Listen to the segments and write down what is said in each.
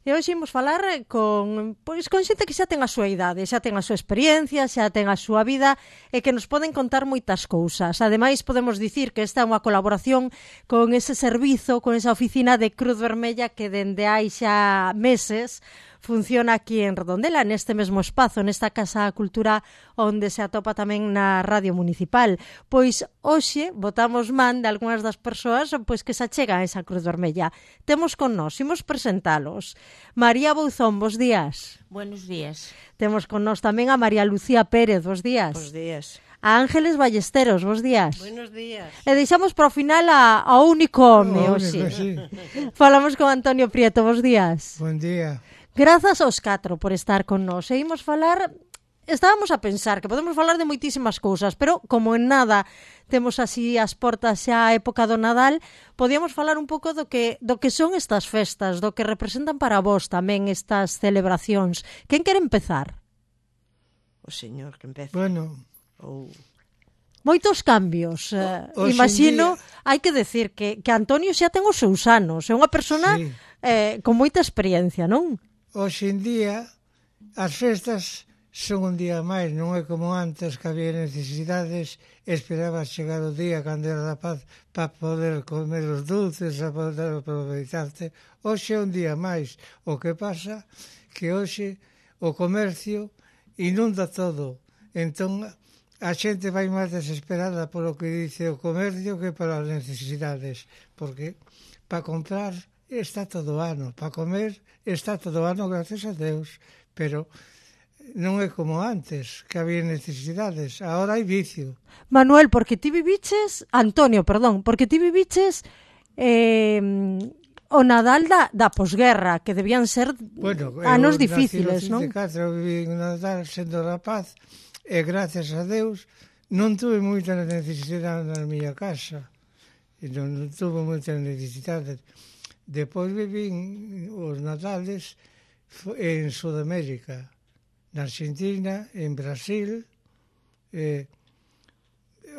E hoxe imos falar con xente que xa ten a súa idade, xa ten a súa experiencia, xa ten a súa vida e que nos poden contar moitas cousas. Ademais, podemos dicir que esta é unha colaboración con ese servizo, con esa oficina de Cruz Vermella que dende hai xa meses funciona aquí en Redondela, neste mesmo espazo, nesta Casa Cultura onde se atopa tamén na Radio Municipal. Pois hoxe botamos man de algunhas das persoas que se achegan a esa Cruz Vermella. Temos con nós, imos presentalos. María Bouzón, bos días. Buenos días. Temos con nós tamén a María Lucía Pérez, bos días. Bos días. A Ángeles Ballesteros, bos días. Buenos días. E deixamos para o final ao único home, sí. Falamos con Antonio Prieto, bos días. Buen día. Grazas aos 4 por estar con nós. E imos falar, estábamos a pensar que podemos falar de moitísimas cousas, pero como en nada temos así as portas xa a época do Nadal, podíamos falar un pouco do que son estas festas, do que representan para vós tamén estas celebracións. Quen quere empezar? O señor que empeza. Bueno, Moitos cambios. Imagino, hai que decir que Antonio xa ten os seus anos, é unha persona sí. Con moita experiencia, non? Hoxe en día as festas son un día máis, non é como antes que había necesidades, esperabas chegar o día cando era rapaz para poder comer os dulces, para poder aproveitarte. Hoxe é un día máis. O que pasa que hoxe o comercio inunda todo. Entón a xente vai máis desesperada polo que dice o comercio que para as necesidades, porque para comprar está todo o ano, para comer está todo o ano, gracias a Deus, pero non é como antes, que había necesidades, agora hai vicio. Manuel, porque ti viviches, Antonio, perdón, porque ti viviches o Nadal da posguerra, que debían ser anos difíciles, non? Eu viví en Nadal sendo rapaz, e gracias a Deus non tuve moita necesidade na miña casa, non tuve moita necesidade. Depois viví os Nadales en Sudamérica, na Argentina, en Brasil.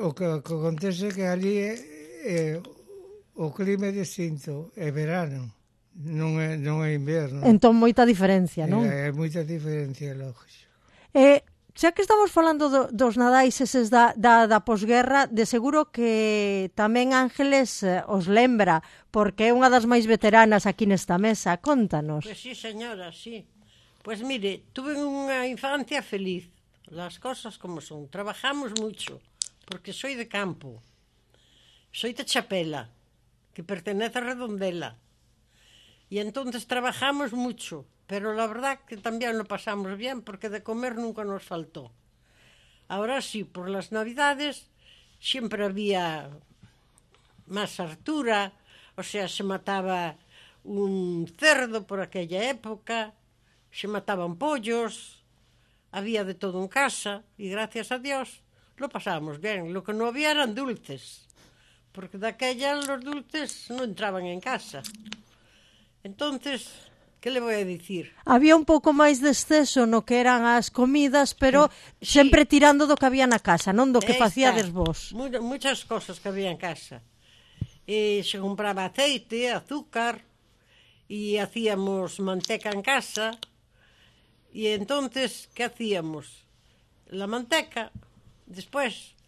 O que acontece que ali o clima é distinto, é verano, non é inverno. Entón moita diferencia, non? É moita diferencia, lógico. Xa que estamos falando dos Nadais eses da posguerra, de seguro que tamén Ángeles os lembra, porque é unha das máis veteranas aquí nesta mesa. Contanos. Pois sí, señora, sí. Pois mire, tuve unha infancia feliz. Las cosas como son. Trabajamos mucho, porque soy de campo. Soy de Chapela, que pertenece a Redondela. Y entonces trabajamos mucho. Pero la verdad que también lo pasamos bien porque de comer nunca nos faltó. Ahora sí, por las Navidades siempre había más hartura, o sea, se mataba un cerdo por aquella época, se mataban pollos, había de todo en casa y gracias a Dios lo pasábamos bien. Lo que no había eran dulces, porque de aquella los dulces no entraban en casa. Entonces... Que le voy a dicir? Había un pouco máis de exceso no que eran as comidas, pero sempre tirando do que había na casa, non do que facíades vos. Muchas cosas que había en casa. Se compraba aceite, azúcar, e hacíamos manteca en casa. E entonces, ¿qué hacíamos? La manteca, después,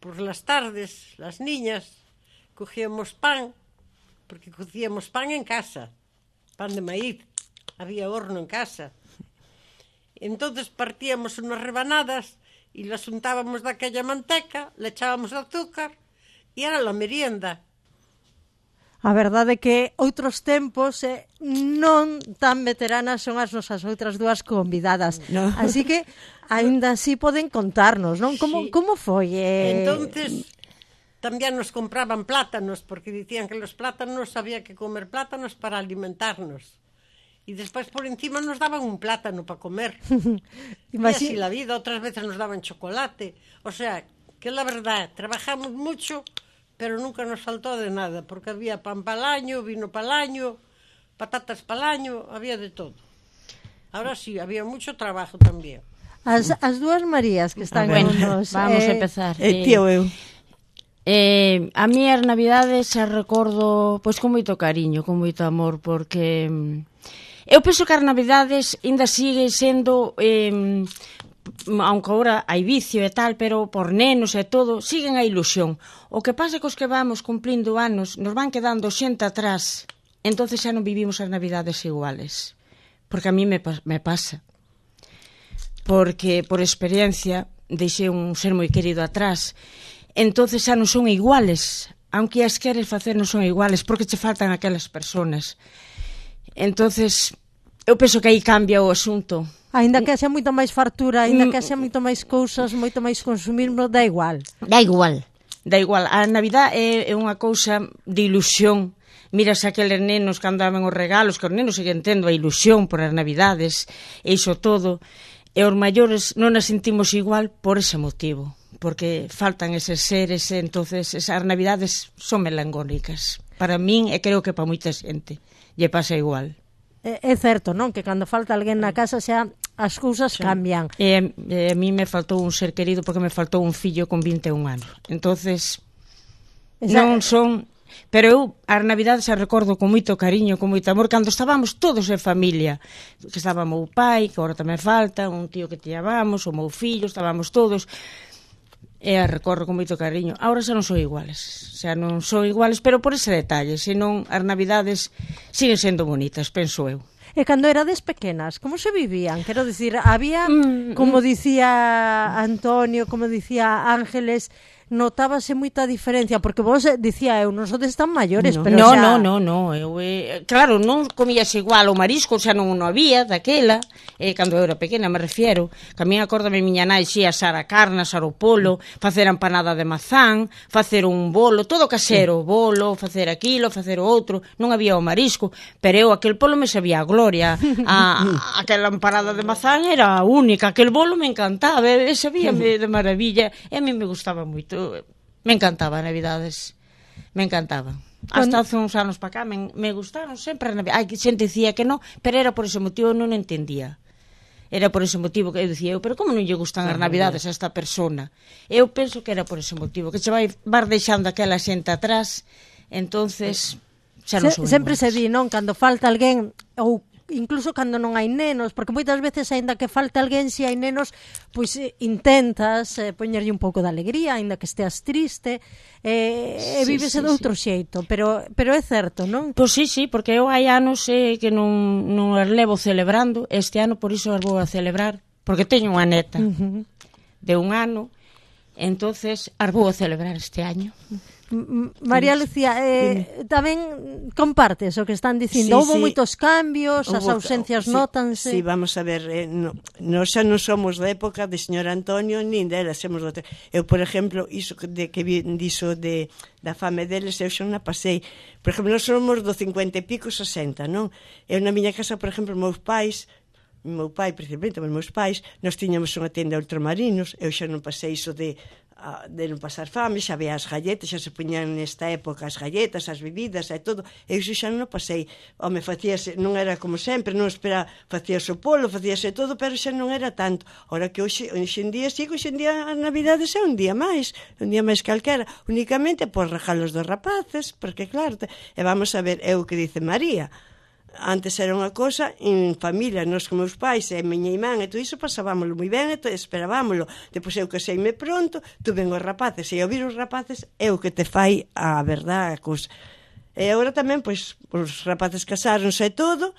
por las tardes, las niñas, cogíamos pan, porque cocíamos pan en casa. Pan de maíz, había horno en casa. Entonces partíamos unas rebanadas y las untábamos de aquella manteca, le echábamos azúcar e era la merienda. A verdade é que outros tempos non tan veteranas son as nosas outras dúas convidadas. No. Así que, aínda así poden contarnos, non? Como foi? Entonces... También nos compraban plátanos, porque dicían que los plátanos había que comer plátanos para alimentarnos. Y después por encima nos daban un plátano para comer. Y así la vida, otras veces nos daban chocolate. O sea, que la verdad, trabajamos mucho, pero nunca nos faltó de nada, porque había pan para el año, vino para el año, patatas para el año, había de todo. Ahora sí, había mucho trabajo también. As dúas Marías que están con nos. Vamos a empezar. Tío, eu. A mí as Navidades se recordo pois con moito cariño, con moito amor, porque eu penso que as Navidades ainda sigue sendo, aunque agora hai vicio e tal, pero por nenos e todo, siguen a ilusión. O que pasa é que os que vamos cumplindo anos nos van quedando xente atrás, entonces xa non vivimos as Navidades iguales. Porque a mí me pasa. Porque por experiencia deixei un ser moi querido atrás, entonces xa non son iguales, aunque as queres facer non son iguales, porque che faltan aquelas personas. Entonces eu penso que aí cambia o asunto. Aínda que haxa moita máis fartura, aínda que haxa moito máis cousas, moito máis consumismo, dá igual. Dá igual. A Navidad é unha cousa de ilusión. Miras aqueles nenos que andaban os regalos, que os nenos siguen tendo a ilusión por as Navidades, e iso todo, e os maiores non as sentimos igual por ese motivo, porque faltan eses seres, e entonces esas Navidades son melancólicas. Para min, e creo que para moita xente, lle pasa igual. É certo, non? Que cando falta alguén na casa xa as cousas cambian. E a mí me faltou un ser querido porque me faltou un fillo con 21 anos. Entonces, non son... Pero eu as Navidades as recordo con moito cariño, con moito amor, cando estábamos todos en familia, que estaba o meu pai, que agora tamén falta, un tío que tiñábamos, o meu fillo, estábamos todos, e as recordo con moito cariño. Agora xa non son iguales, pero por ese detalle, senón as Navidades siguen sendo bonitas, penso eu. E cando erades pequenas, como se vivían? Quero dicir, había, como dicía Antonio, como dicía Ángeles, notábase moita diferencia, porque vos dicía eu, nosotros están maiores, pero xa... No, eu, claro, non comías igual o marisco, xa non había daquela, cando eu era pequena, me refiero, que a mí acórdame miña nai xe asar a carne, asar o polo, facer a empanada de mazán, facer un bolo, todo casero, bolo, facer aquilo, facer o outro, non había o marisco, pero eu aquel polo me sabía a gloria, aquela empanada de mazán era a única, aquel bolo me encantaba, sabíame de maravilla, e a mí me gustaba moito. Me encantaba Navidades, me encantaba. Hasta hace uns anos para cá me gustaron sempre as Navidades. Hai xente dicía que non, pero era por ese motivo, non entendía. Era por ese motivo que eu dicía, pero como non lle gustan as Navidades a esta persona? Eu penso que era por ese motivo, que che vai deixando aquela xente atrás, entonces xa non son sempre iguales. se di, non? Cando falta alguén, ou incluso cando non hai nenos, porque moitas veces, aínda que falte alguén, se hai nenos, pois intentas poñerlle un pouco de alegría, aínda que esteas triste, vívese de outro xeito, pero é certo, non? Pois sí, porque eu hai anos que non as levo celebrando, este ano por iso as vou a celebrar, porque teño unha neta de 1 ano, entonces as vou a celebrar este año. María Lucía, tamén compartes o que están dicindo, houve moitos cambios, as ausencias nótanse. Sí, vamos a ver, nós xa non somos da época de señor Antonio nin dela, somos do eu, por exemplo, iso de que dixo da fame deles, eu xa non a pasei. Por exemplo, nós somos do 50 e pico, 60, non? Eu na miña casa, por exemplo, meu pai, principalmente, os meus pais, nós tiñamos unha tenda de ultramarinos, eu xa non pasei iso de non pasar fame, xa veía as galletas, xa se poñían nesta época as galletas, as bebidas e todo, eu xa non pasei. Home, facíase, non era como sempre, non espera, facíase o polo, facíase todo, pero xa non era tanto. Ora que hoxe en día, sí, hoxe en día as Navidades é un día máis calquera, únicamente por regalos dos rapaces, porque claro, e vamos a ver, é o que dice María, antes era unha cosa en familia, nós con meus pais e miña irmán e todo iso pasábamoslo moi ben e esperábamoslo. Depois eu caseime pronto, tuven os rapaces e ao vir os rapaces é o que te fai a verdad a cousa. E agora tamén, pois, os rapaces casáronse e todo,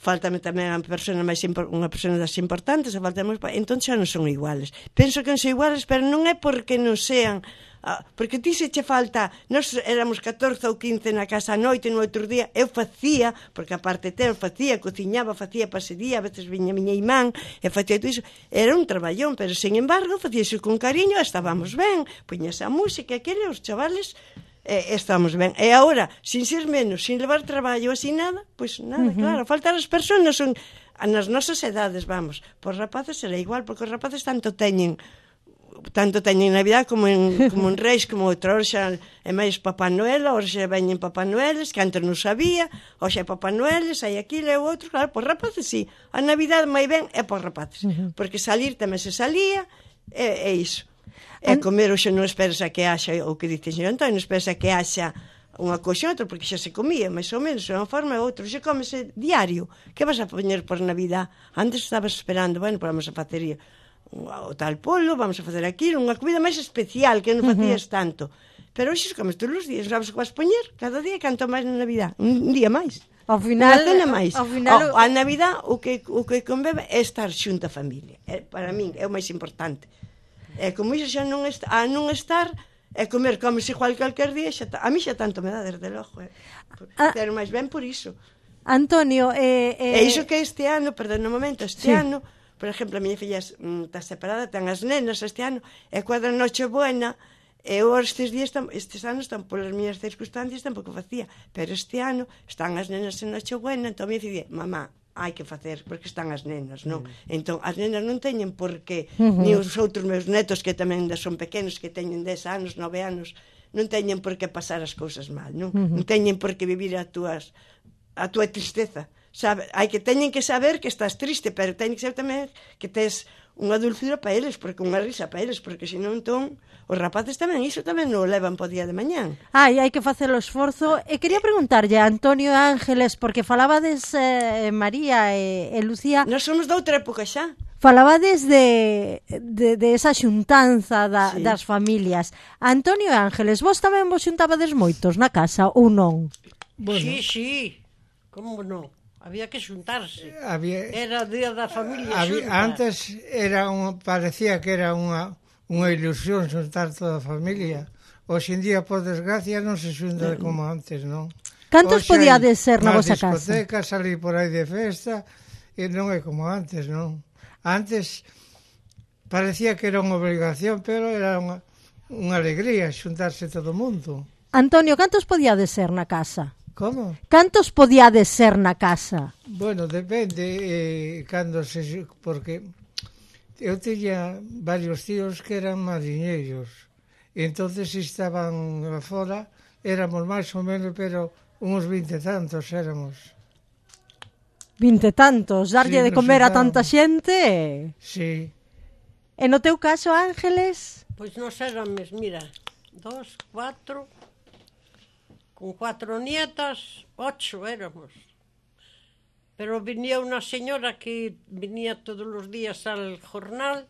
faltame tamén unha persona das importantes, entón xa non son iguales. Penso que non son iguales, pero non é porque non sean... porque ti se che falta, nós éramos 14 ou 15 na casa a noite, no outro día eu facía, porque aparte cociñaba, facía pasería, a veces viña miña irmán e facía todo iso, era un traballón, pero sin embargo facía iso con cariño, estábamos ben, poñase a música, aquele, os chavales estábamos ben, e agora sin ser menos, sin levar traballo así nada, pois nada, claro, faltan as persoas son nas nosas edades, vamos, por rapaces será igual, porque os rapaces tanto teñen Navidad como en Reis, como outra, xa é máis Papá Noel, xa veñen Papá Noeles, que antes non sabía, xa é Papá Noeles, hai aquilo e o outro, claro, por rapaces sí, a Navidad máis ben é por rapaces, porque salir tamén se salía, é iso. E comer hoxe non esperas a que haxa, o que dice o señor Antonio, non esperas a que haxa unha cousa e outra, porque xa se comía, máis ou menos, unha forma e outra. Xa comese diario. Que vas a poñer por Navidad? Antes estabas esperando, bueno, vamos a facer o tal polo, vamos a facer aquilo, unha comida máis especial, que non facías tanto. Pero hoxe comes todos os días, sabes o que vas poñer? Cada día canto máis na Navidad, un día máis. Ao final, unha cena máis. Ao final, a Navidad o que conveve é estar xunto a familia. Para min é o máis importante. E como iso xa non estar, e comes igual calquer día, a mí xa tanto me dá, desde logo. Pero máis ben por iso. Antonio... E iso que este ano, perdón un momento, ano, por exemplo, a miña filla está separada, ten as nenas este ano, e cuadra noche buena, e eu estes anos, polas miñas circunstancias, tampouco facía, pero este ano están as nenas en noche buena, entón a miña filla, mamá, hai que facer, porque están as nenas, non? Entón, as nenas non teñen por que, ni os outros meus netos, que tamén son pequenos, que teñen 10 anos, 9 anos, non teñen por que pasar as cousas mal, non? Non teñen por que vivir a túa tristeza, sabe? Teñen que saber que estás triste, pero teñen que saber tamén que tes unha dulzura para eles, porque unha risa para eles, porque senón, entón, os rapaces tamén, iso tamén non o levan po día de mañán. Hai que facer o esforzo. E quería preguntarlle a Antonio e Ángeles, porque falabades María e Lucía... Nós somos de outra época xa. Falabades de esa xuntanza das familias. Antonio e Ángeles, vos tamén vos xuntabades moitos na casa ou non? Bueno. Sí, como non? Había que xuntarse. Era o día da familia xunta. Antes parecía que era unha ilusión xuntar toda a familia. Hoxe en día, por desgracia, non se xunta como antes, non? Cantos podíades ser na vosa casa? Na discoteca, salir por aí de festa, e non é como antes, non? Antes parecía que era unha obrigación, pero era unha alegría xuntarse todo o mundo. Antonio, cantos podíades ser na casa? Como? Cantos podíades ser na casa? Bueno, depende porque eu tiña varios tíos que eran mariñeiros, e entonces estaban fora, éramos máis ou menos, pero uns 20 e tantos éramos. 20 e tantos, darlle de comer a tanta xente? Sí. E no teu caso, Ángeles? Pois nos éramos, mira, 2, 4... Con 4 nietas, 8 éramos. Pero venía una señora que venía todos los días al jornal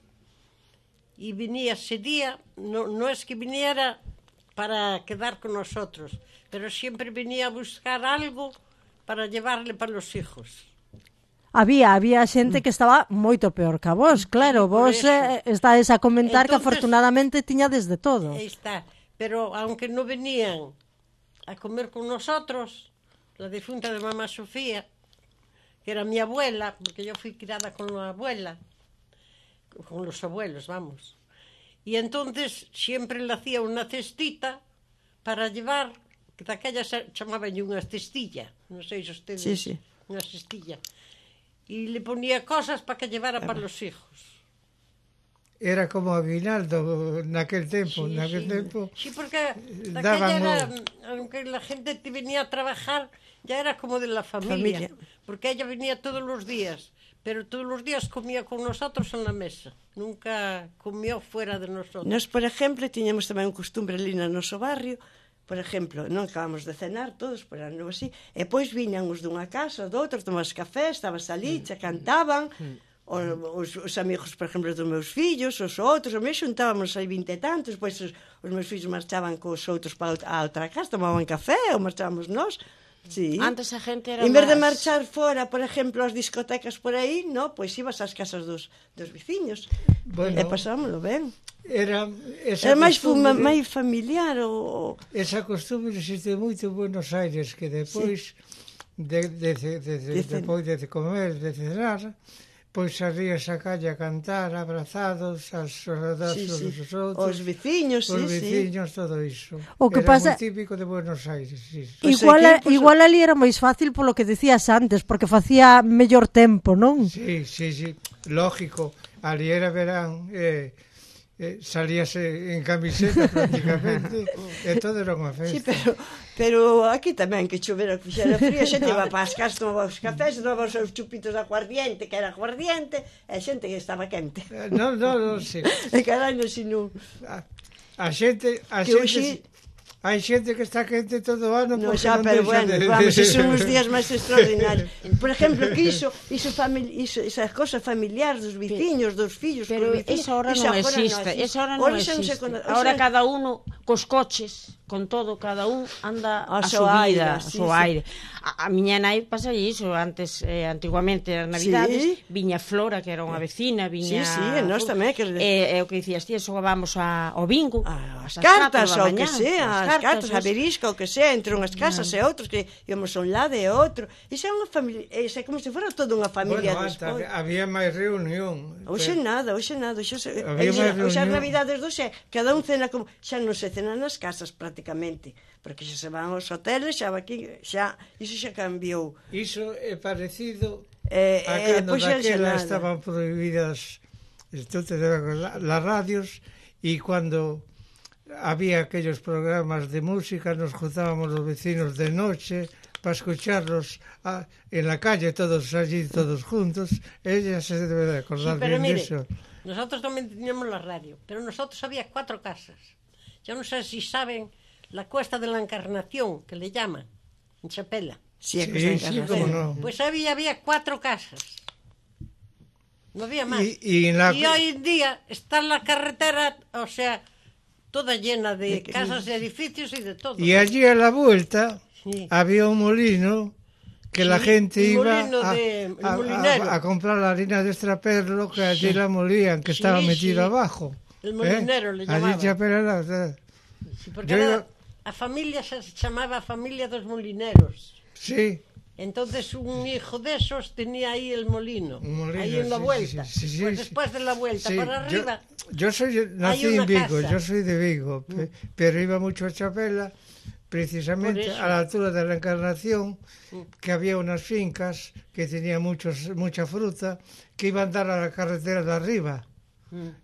y venía ese día, no es que viniera para quedar con nosotros, pero siempre venía a buscar algo para llevarle para los hijos. Había xente que estaba moito peor que vos, claro, vos estáis a comentar. Entonces, que afortunadamente tiñades de todo. Aí está, pero aunque no venían a comer con nosotros, la difunta de mamá Sofía, que era mi abuela, porque yo fui criada con la abuela, con los abuelos, vamos. Y entonces siempre le hacía una cestita para llevar, que daquella chamaban unha cestilla, non sei se ustedes, sí. Unha cestilla, y le ponía cosas para que llevara para los hijos. Era como aguinaldo naquel tempo, tempo. Sí, porque daquella era, aunque la gente te venía a trabajar, ya era como de la familia. Porque ella venía todos los días, pero todos los días comía con nosotros en la mesa. Nunca comió fuera de nosotros. Nos, por exemplo, tiñamos tamén un costumbre ali no noso barrio, por exemplo, non acabamos de cenar todos, por ano así, e pois viñan os dunha casa, doutros, tomas café, estabas ali, xa cantaban, os amigos, por exemplo, dos meus fillos, os outros, a mí xuntábamos aí 20 e tantos, pois os meus fillos marchaban cos outros para a outra casa, tomaban café, ou marchábamos nós. Sí. Antes a gente era en vez de marchar fora, por exemplo, as discotecas por aí, no, pois ibas ás casas dos veciños, bueno, e pasámoslo ben. Era máis familiar. Esa costumbre existe moito en Buenos Aires, que depois depois de comer, de cenar, pois salías a calle a cantar, abrazados, as soldadas os outros, os veciños, todo iso. O que era pasa... moi típico de Buenos Aires. Sí. Igual ali era máis fácil polo que decías antes, porque facía mellor tempo, non? Sí, lógico. Ali era verán, salíase en camiseta prácticamente, e todo era unha Sí, festa. pero aquí tamén que chovera, que fixera frío, a xente iba para as casas, tomaba os cafés, tomaba os seus chupitos de aguardiente, que era aguardiente, e a xente que estaba quente. Non, sí. E carai, non, si non... A xente, Que hoxe- hai xente que está quente todo o ano No, porque xa, non pero deixa bueno, de... vamos, son os días máis extraordinarios. Por exemplo, que esas cosas familiares dos veciños, dos fillos, Pero cos veciños, esa hora non existe, esa hora non existe. Ahora cada uno cos coches, con todo, cada un anda A a seu súa aire, vida, a sí, súa sí. aire. A miña nai pasa iso, antes, antiguamente, as navidades, Sí. viña Flora, que era unha vecina, viña... Sí, e nós tamén, que- o que dicías ti, xogábamos ao bingo, As ás cartas, 4 da ou que mañá, sea, as cartas, a eso. verisca, ou que sea, entre unhas casas e outros, que íamos a un lado e a outro. Iso é unha familia, é como se fora toda unha familia Bueno, antes despois. había máis reunión. Hoxe nada, hoxe Había máis as reunión. navidades do xe, cada un cena como, xa non se cena nas casas prácticamente, porque xa se van aos hoteles, xa va aquí, xa, iso xa cambiou. Iso é parecido a cando pois xa daquela nada. estaban prohibidas las radios e cando había aquellos programas de música nos juntábamos los vecinos de noche para escucharlos en la calle, todos allí, todos juntos. Ella se debe de acordar pero bien de mire, eso. nosotros también teníamos la radio, pero nosotros había 4 casas. Yo no sé si saben la Cuesta de la Encarnación, que le llaman, en Chapela. Sí, Sí, cómo no. Pues había 4 casas. No había más. Y en la- Y hoy en día está la carretera, o sea, toda llena de casas, de edificios y de todo. Y allí a la vuelta Sí. había un molino que la Sí, gente el iba molino el molinero. a comprar la harina de extraperlo, que allí la molían, que Sí, estaba metido sí. abajo. El molinero le Allí llamaban. en Chapela, Sí, porque Yo era- iba- a familia se chamaba Familia dos Molineros. sí. Entonces un hijo de esos tenía ahí el molino, Un molino, ahí en la sí, vuelta. sí, Pues sí. después de la vuelta Sí, para arriba, yo nací una en Vigo, casa. yo soy de Vigo, pero iba mucho a Chapela, precisamente Por eso. a la altura de la Encarnación, que había unas fincas que tenían mucha fruta, que iban a dar a la carretera de arriba.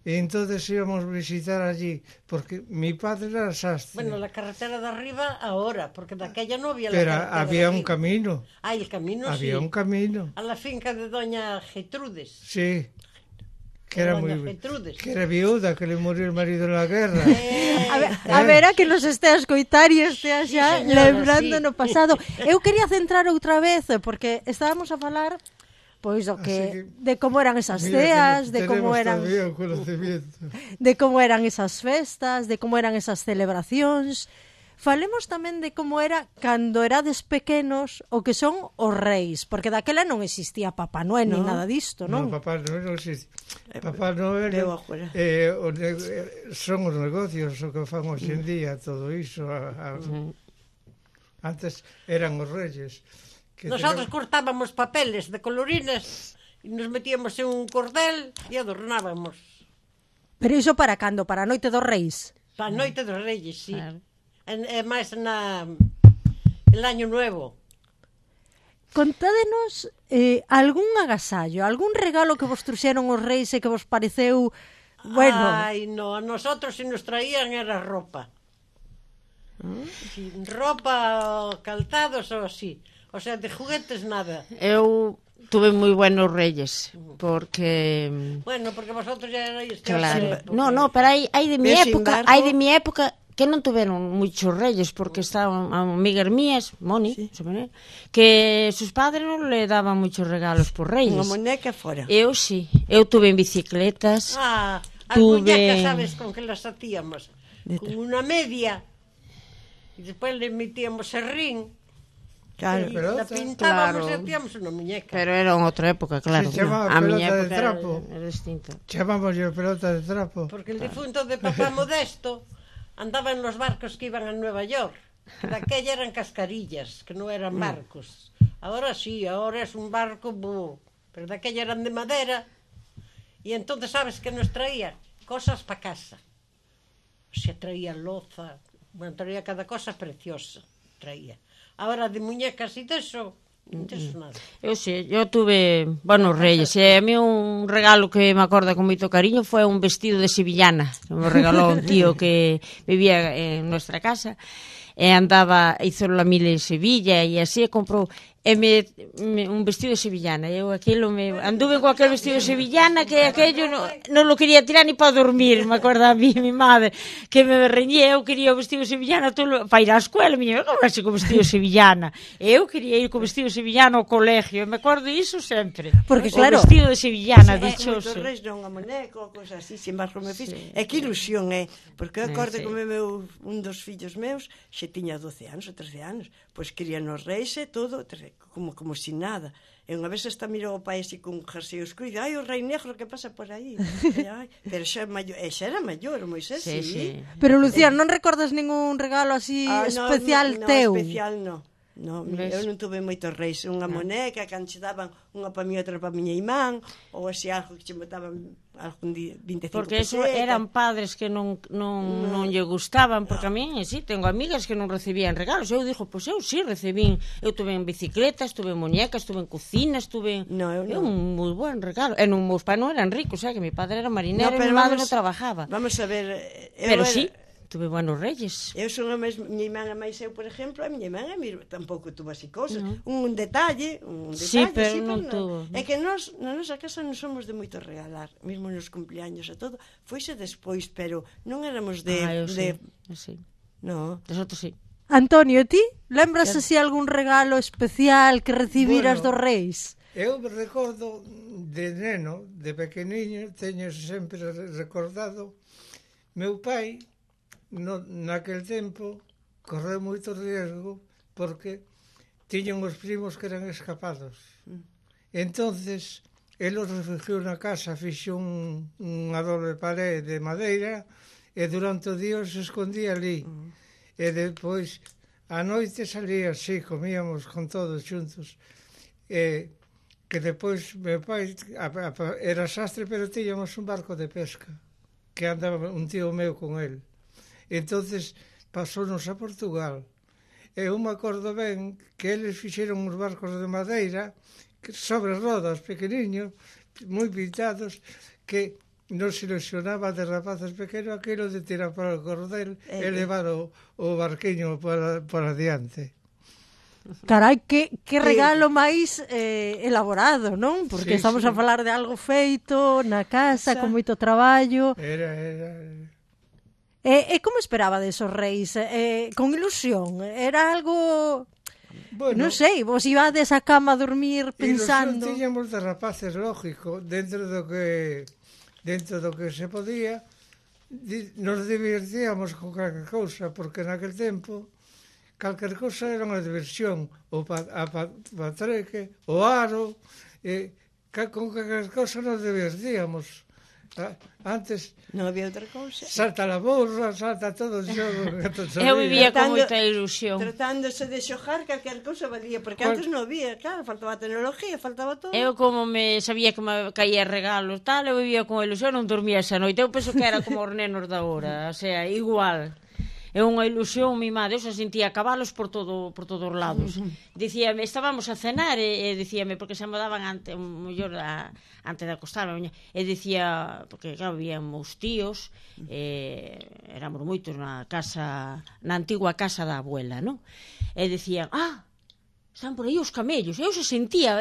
Y entonces íbamos a visitar allí, porque mi padre era sastre, bueno, la carretera de arriba ahora, porque de aquella no había la pero carretera de había un arriba. camino, Ah, el camino había sí. un camino, A la finca de doña Getrudes. sí, que era Doña muy, Getrudes. que era viuda, que le murió el marido en la guerra. A ver, a que nos estea a escoitar e estea xa señora, lembrando sí. no pasado. Eu quería centrar outra vez, porque estábamos a falar pois do Así que que- de como eran esas Mira que ceas, de tenemos como eran todavía un conocimiento. de como eran esas festas, de como eran esas celebracións. Falemos tamén de como era cando erades pequenos o que son os reis, porque daquela non existía Papá Noel ni nada disto, No, non? Papá Noel non existe. Papá Noel Veo agora. son os negocios o que fan hoxe en día, todo iso. Antes eran os reyes. Que Nosotros cortábamos papeles de colorines e nos metíamos en un cordel e adornábamos. Pero iso para cando? Para a noite dos reis? Para a noite dos reyes, sí. Claro. É máis el año nuevo. Contádenos algún agasallo, algún regalo que vos truxeron os reis e que vos pareceu, bueno, Ai, no, a nosotros se nos traían era ropa. Sí, ropa, calzados ou así. O sea, de juguetes nada. Eu tuve moi buenos reyes, porque... Bueno, porque vosotros ya erais Claro. No, pero hai de mi Pero sin época, embargo- hai de mi época que non tuveron muchos reyes porque estaban amigas mías, Moni, que sus padres non le daban muchos regalos por reyes. Unha muñeca fora. Eu sí, eu tuve en bicicletas. Ah, as Tuve- muñecas, sabes con que las hacíamos? Con una media e despois le metíamos serrín Claro. e pelota, la pintábamos claro. e hacíamos unha muñeca. Pero era en outra época, claro. Se chamaba A miña pelota de época trapo. era distinta. Chamamos yo pelota de trapo. Porque el difunto de papá Modesto andaba en los barcos que iban a Nueva York. Daquella eran cascarillas, que non eran barcos. Ahora sí, ahora es un barco, pero daquella eran de madera. Y entonces, ¿sabes qué nos traía? Cosas para casa. O sea, traía loza, bueno, traía cada cosa preciosa, traía. Ahora de muñecas y de eso, Non tes nada. Eu sei, eu tuve buenos reyes, e a mí un regalo que me acorda con moito cariño foi un vestido de sevillana, que me regalou un tío que vivía en nuestra casa, e andaba, hizo la mil en Sevilla, e así comprou un vestido de sevillana. Eu aquilo anduve con aquel vestido de sevillana que aquello non lo quería tirar ni para dormir, me acorda a mí, mi madre, que me reñía, eu quería o vestido de sevillana para ir á escuela, miña, como así con vestido de sevillana? Eu quería ir con vestido de sevillana ao colegio, me acordo iso sempre. Porque, o claro, vestido de sevillana, Dichoso. dichoso. Reis non a moneco, cosa así, sin embargo me fiz. É que ilusión, porque eu acordo que un dos fillos meus xe tiña 12 anos ou 13 anos, pois quería nos reis e todo, como sin nada. E unha vez está mirou o pai así con un jersey oscuro e dice, ai, o rei negro que pasa por aí. Pero xa era maior, o Moisés, sí. Pero, Lucía, non recordas ningún regalo así especial teu? No, especial non. No, eu non tuve moitos reis, unha moneca que antes daban unha para mí, outra para miña imán, ou así algo que che botaban algún día 25 porque eso pesetas. eran padres que non lle gustaban, porque a mí, sí, tengo amigas que non recibían regalos. Eu dixo, pois eu sí recibín, eu tuve en bicicletas, tuve en muñecas, tuve en cocinas, tuve un moi buen regalo. E non, meus pais non eran ricos, que mi padre era marinero e mi madre non trabajaba. Vamos a ver, pero sí, tuve buenos reyes. Eu son a miña irmán a máis eu, por exemplo, a miña irmán tampouco tuvo así cosas. Un detalle, sí, pero non tuvo. É que nós, na nosa casa non somos de moito regalar, mesmo nos cumpleaños e todo, foise despois, pero non éramos eu sí. No. Nosotros sí. Antonio, ti? Lembras así algún regalo especial que recibiras dos reis? Eu me recordo de neno, de pequeniño, teño sempre recordado, meu pai, naquel tempo, correu moito riesgo porque tiñan os primos que eran escapados. Entonces, el os refugiou na casa, fixo unha doble pared de madeira e durante o día se escondía ali. E depois, a noite salía así, comíamos con todos xuntos. E que depois, meu pai era sastre, pero tiñamos un barco de pesca, que andaba un tío meu con el. Entonces pasounos a Portugal. Eu me acordo ben que eles fixeron uns barcos de madeira sobre rodas pequeniños, moi pintados, que nos ilusionaba de rapaces pequenos aquilo de tirar para o cordel e levar o barquiño para adiante. Carai, que regalo máis elaborado, non? Porque estamos a falar de algo feito na casa, con moito traballo. Era... E como esperaba desos reis? Con ilusión? Era algo... Bueno, non sei, vos ibades a cama a dormir pensando... Ilusión tiñamos de rapaces, lógico, dentro do que se podía, nos divertíamos con calquer cousa, porque naquel tempo calquer cousa era unha diversión, o patreque, o aro, con calquer cousa nos divertíamos. Antes non había outra cousa. Salta a borra, salta todo o xogo. Eu vivía con moita ilusión. Tratándose de xogar, calquer cousa valía, porque antes non había, claro, faltaba a tecnología, faltaba todo. Eu como sabía que me caía regalos, tal, eu vivía con ilusión, non dormía esa noite. Eu penso que era como os nenos da hora, o sea, igual. É unha ilusión mimada, eu xa sentía cabalos por todos os lados. Dicíame, estábamos a cenar e dicíame, porque xa me daban antes de acostarme, e dicía, porque claro, había meus tíos, éramos moitos na antigua casa da abuela, non? E dicían, están por aí os camellos. Eu se sentía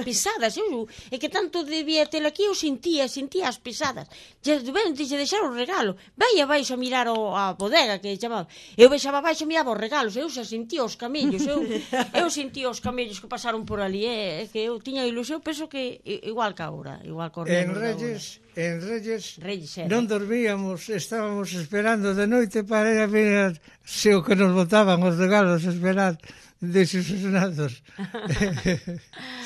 pisadas. É que tanto debía ter aquí, eu sentía as pisadas. Ben, dixe deixar o regalo. Vai abaixo a mirar a bodega, que chamaba. Eu baixaba abaixo e miraba os regalos. Eu se sentía os camellos. Eu sentía os camellos que pasaron por ali. É que eu tiña ilusión, penso que igual que agora. Igual que en Reyes non dormíamos, estábamos esperando de noite para ir a ver se o que nos botaban os regalos, esperar desilusionados.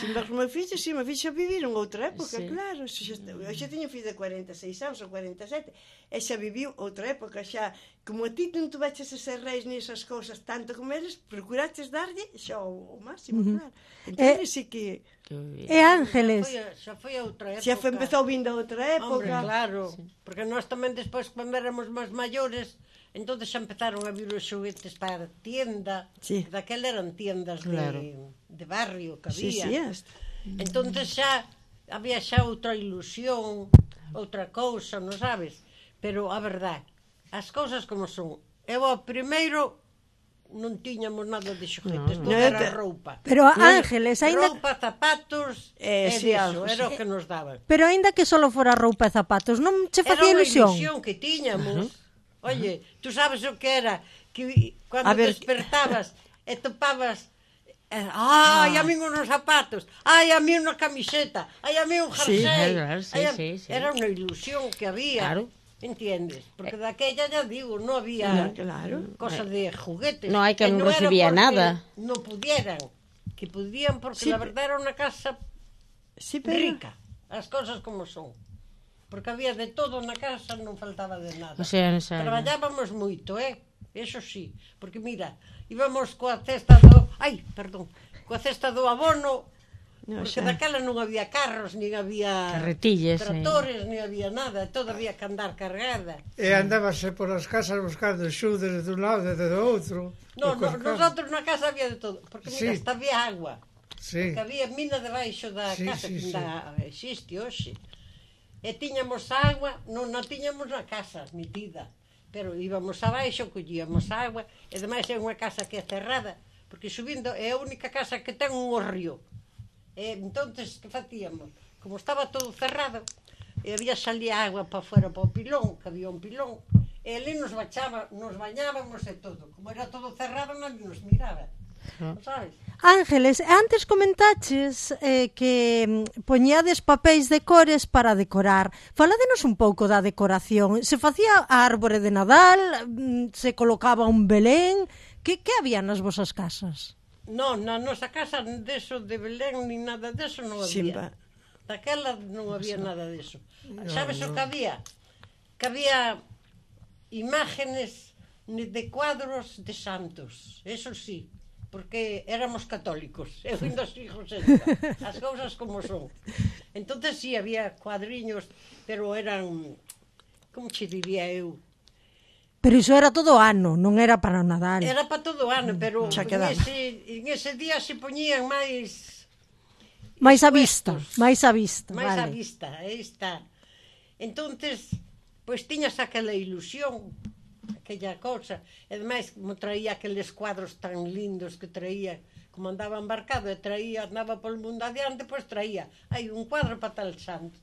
Sin ver como me fixe vivir en outra época, claro. Eu xa tiño fillo de 46 anos ou 47, e xa viviu outra época, xa, como a ti non tuveches ese reis nesas cousas tanto como eles, procuraches darlle xa o máximo, claro. Entón, sí que... E Ángeles? Xa foi outra época. Xa empezou vindo outra época. Hombre, claro, porque nós tamén despois, cando éramos máis maiores, Entonces xa empezaron a vir os xoguetes para a tienda. Sí. Daquela eran tiendas Claro. de barrio que Sí, había. sí, Entonces xa había xa outra ilusión, outra cousa, non sabes? Pero a verdade, as cousas como son. Eu ao primeiro non tiñamos nada de xoguetes, todo No, era te- roupa. Pero Ángeles, aínda Roupa, zapatos, sí, diso, algo, era sí. o que nos daban. pero aínda que solo fora roupa e zapatos, non che Era facía unha ilusión? ilusión que tiñamos. Oye, tú sabes o que era? Que cando A ver, despertabas e topabas ai, a mí unos zapatos, ai, a mí unha camiseta, ai, a mí un Sí, jersey. claro, sí, ai, sí, sí. Era unha ilusión que había. Claro. Entiendes? Porque daquella ya digo, non había Claro. cosa de juguetes. No hai que E non era recibía porque nada. Non pudieran, que podían porque Sí, la verdad era unha casa Sí, pero... rica, as cousas como son. Porque había de todo na casa, non faltaba de nada. O sea, Traballábamos moito, eso sí, porque mira, íbamos coa cesta do... Ai, perdón, coa cesta do abono, No, porque xa. daquela non había carros, nin había Carretillas, tractores, nin había nada, todo había que andar cargada. E andábase por as casas buscando xudes dun lado e do outro. No, Cos carros. nosotros na casa había de todo, porque mira, Sí. hasta había agua. Sí. Que había mina debaixo da Sí, casa, sí, que sí. ainda existe hoxe. E tiñamos agua, non a tiñamos na casa metida, pero íbamos abaixo, collíamos agua, e demais é unha casa que é cerrada, porque subindo é a única casa que ten un río. E entonces, que facíamos? Como estaba todo cerrado, e había salía agua para fora para o pilón, que había un pilón, e ali nos bañábamos e todo. Como era todo cerrado, non nos miraba. Non sabes? Ángeles, antes comentaches que poñades papéis de cores para decorar. Faládenos un pouco da decoración. Se facía a árbore de Nadal, se colocaba un Belén, que había nas vosas casas? Non, na nosa casa deso de Belén ni nada deso non había. Simba. Daquela non había nada deso. Sabes o que había? Que había imágenes de cuadros de santos. Eso sí, porque éramos católicos. Eu indo os hijos as cousas como son. Entonces sí, había cuadriños, pero eran, como che diría eu? Pero iso era todo o ano, non era para o Nadal. Era para todo o ano, pero Xa quedaba. en ese día se poñían máis máis a vista, máis a vista, máis á vale. vista, aí está. Entonces, pois tiñas aquela ilusión, aquella cousa, e ademais como traía aqueles cuadros tan lindos que traía, como andaba embarcado e traía, andaba polo mundo adiante, pois traía, hai un cuadro para tal santo.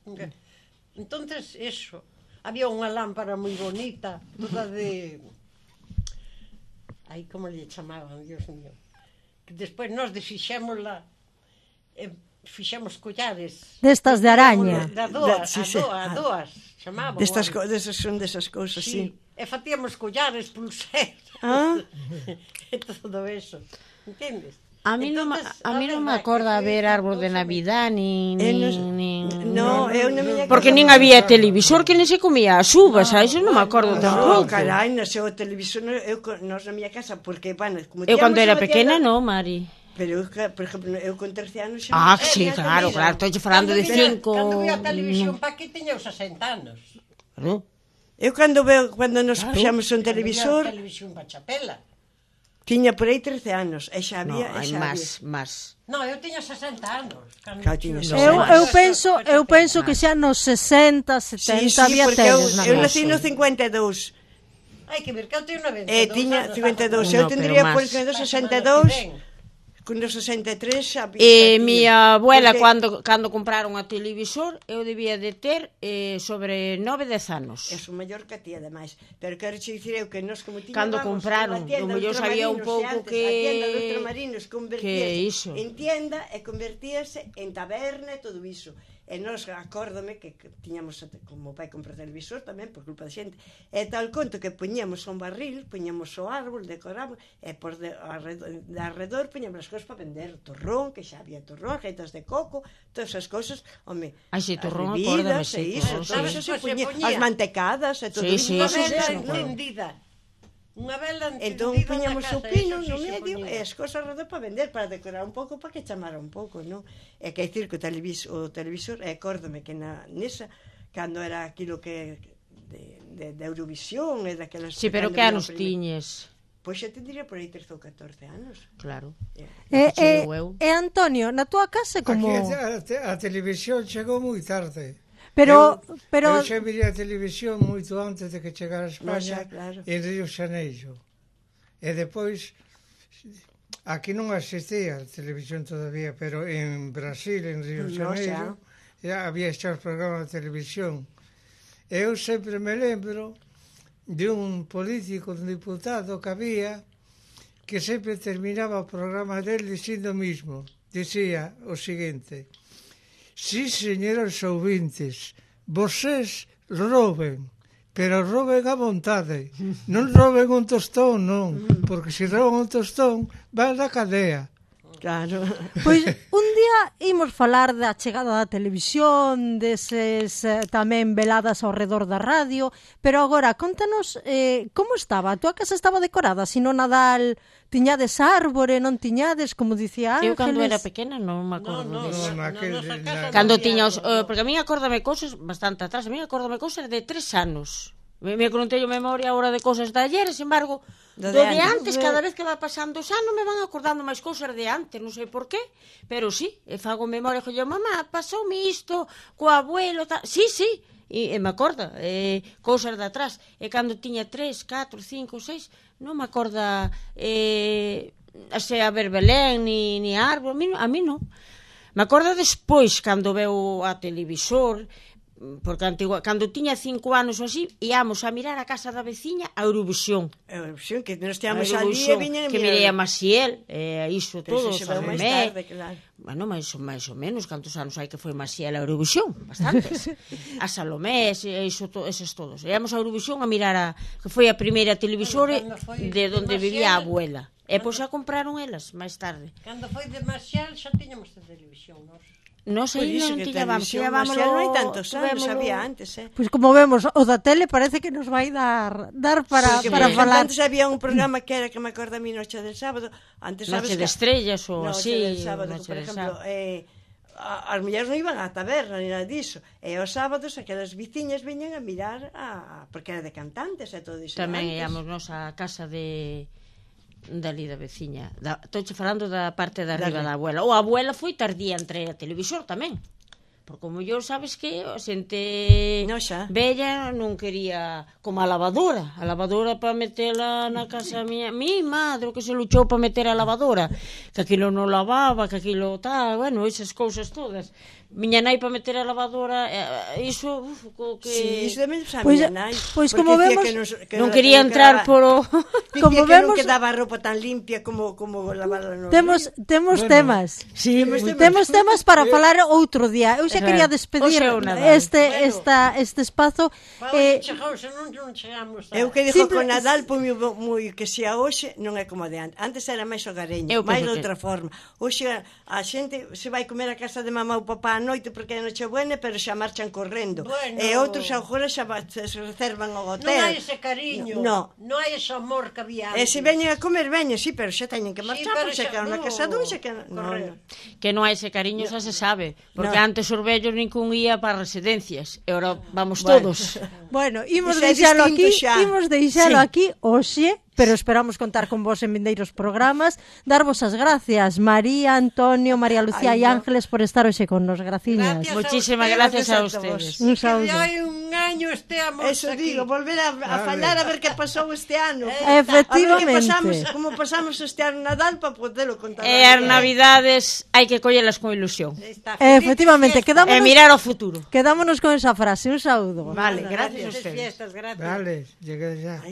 Entonces, eso, había unha lámpara moi bonita, toda de... Ai, como lle chamaban, Dios mío. Que despois nós desfixémosla, fixemos collares. Destas de araña. Da doa, Sí, sí. a doas, chamábamos. Son desas cousas, sí. E facíamos collares, pulseras. Ah. E todo eso. Entendes? A mí non me acorda ver árbol de Navidad nin No, eu non me porque nin había televisor que nin se comía as uvas, a iso non me acordo No, tampouco. carai, no seu televisor, nos na miña casa, porque, bueno, como Eu cando tíamos era unha pequena, tienda- non, Mari. Pero, eu, por exemplo, eu con 13 anos... xa Ah, non- sí, claro, claro, estou falando de 5. Cando vi a televisión pa aquí tiña os 60 anos. Eu cando nos puxamos un televisor, A televisión pa chapela. tiña por aí 13 anos, e xa No, había... hai xa máis. No, eu tiña 60 anos. Claro, tiñas Eu penso que xa nos 60, 70 había porque eu teles na nací casa. no 52, Hai que ver que eu teño 92 tiña anos. 52, No, eu tendría pero por máis. 62, con os 63 xa... E xa miña abuela, porque cando compraron a televisor, eu debía de ter sobre 9, 10 anos. é o maior que a ti, ademais. Pero quero che dicir eu que nos como tiña Cando compraron, do mellor sabía un pouco que... A tienda dos ultramarinos que convertíase iso. en tienda e convertíase en taberna e todo iso. E nos acórdome que tiñamos, como pai compra televisor tamén, por culpa da xente, e tal conto que poñíamos un barril, poñíamos o árbol, decoramos, e por de arredor poñíamos as cousas para vender, torrón, que xa había torrón, gaitas de coco, todas esas cousas, home, Ai, sí, torrón, as acórdame, bebidas, sí, e iso, torrón, todo sí. iso se Pois se poñía, poñía. as mantecadas e todo Sí, iso. sí, Unha sí, vela sí, encendida. Unha vela encendida Entón poñamos na o casa, pino eso no sí se medio poñía. e as cosas alrededor para vender, para decorar un pouco, para que chamara un pouco, non? E que dicir que o televisor, e acórdome que nesa, cando era aquilo que de Eurovisión e daquelas... Sí, pero cando que viña anos o primeiro. tiñes? Pois xa te diría por aí 13 ou 14 anos. Claro. E Antonio, na túa casa como... Aquí a televisión chegou moi tarde. Pero Eu xa mirei a televisión moito antes de que chegara a España, xa, claro. en Río Xaneiro. E depois, aquí non existía a televisión todavía, pero en Brasil, en Río Xaneiro, já había xa os programas de televisión. Eu sempre me lembro de un político, un diputado que había, que sempre terminaba o programa dele dicindo o mismo. Dicía o seguinte: sí, señores ouvintes, vocês roben, pero roben a vontade. Non roben un tostón, non, porque se roban un tostón, van na cadea. Claro. Pois un día imos falar da chegada da televisión, deses tamén veladas ao redor da radio, pero agora contanos como estaba? A túa casa estaba decorada? Se no Nadal tiñades árbore, non tiñades, como dicía Ángeles? Eu cando era pequena non me acordo disso. Cando Cando tiña os... porque a mí acórdame cosas bastante atrás, a mí acórdame cosas de 3 anos. Me que non teño memoria agora de cosas de ayer, sin embargo, do de antes, cada vez que va pasando os anos me van acordando máis cousas de antes, non sei por qué, pero sí, fago memoria, yo, mamá, pasoume isto co abuelo, tal. Sí, e me acorda, cousas de atrás, e cando tiña 3, 4, 5, 6, non me acorda a ver Belén, ni árbol, a mí non. Me acorda despois, cando veo a televisor, porque cando tiña 5 anos ou así, íamos a mirar a casa da veciña a Eurovisión. Eurovisión, que nos teamos ali e viñen a mirar. Que mirei a Maciel, iso todo, Salomé. Claro. Bueno, máis ou menos, cantos anos hai que foi Maciel a Eurovisión? Bastantes. A Salomé, iso, eses todos. Íamos a Eurovisión a mirar que foi a primeira televisora de onde vivía a abuela. E pois a compraron elas máis tarde. Cando foi de Marcial xa tiñamos a televisión, nós. Non sei, non tiñábamos. Non hai tantos anos, había antes, Pois como vemos, o da tele parece que nos vai dar para falar. Antes había un programa que era, que me acordo a mí, Noche del Sábado. Antes, Noche de Estrellas ou así. Noche del Sábado, por exemplo, as mulleres non iban á taberna ni nada disso, e os sábados aquelas veciñas veñan a mirar porque era de cantantes e todo iso. Tamén íamos nos á casa dali da veciña. Estou falando da parte de arriba da abuela. O a abuela foi tardía entre a televisor tamén. Porque como yo sabes que a xente bella non quería como a lavadora para metela na casa miña, mi madre que se luchou para meter a lavadora, que aquilo non lavaba, que aquilo tal, bueno, esas cousas todas. Miña nai para meter a lavadora, iso que sí, iso tamén xa miña nai. Pois como vemos, non quería entrar por como vemos que non quedaba a roupa tan limpia como lavarla no. Temos temas. Sí, temos temas para falar outro día. Eu xa quería despedir este espazo. Eu que dixo con Nadal moi que xa hoxe non é como de antes. Antes era máis hogareño, máis de outra forma. Hoxe a xente se vai comer a casa de mamá ou papá noite porque é Nochebuena, pero xa marchan correndo. E outros agora xa se reservan ao hotel. Non hai ese cariño, non hai ese amor que había antes. E se veñen a comer, veñen, sí, pero xa teñen que marchar, porque xa quedan na casa dun, xa quedan... Que non hai ese cariño, xa se sabe, porque antes os vellos nincún ía para residencias, e agora vamos todos. Bueno, imos deixalo aquí hoxe, pero esperamos contar con vos en vindeiros programas. Darvos as gracias, María, Antonio, María Lucía e Ángeles, por estar hoxe con nos. Graciñas. Muchísimas gracias a ustedes. Un saúdo. Que hai un año esteamos Eso aquí. digo, volver a falar a ver que pasou este ano. Efectivamente. Como pasamos este ano Nadal para podelo contar. E as Navidades hai que collelas con ilusión. Efectivamente, E mirar ao futuro. Quedámonos con esa frase. Un saúdo. Vale, gracias a ustedes. Gracias. Vale, llegué ya.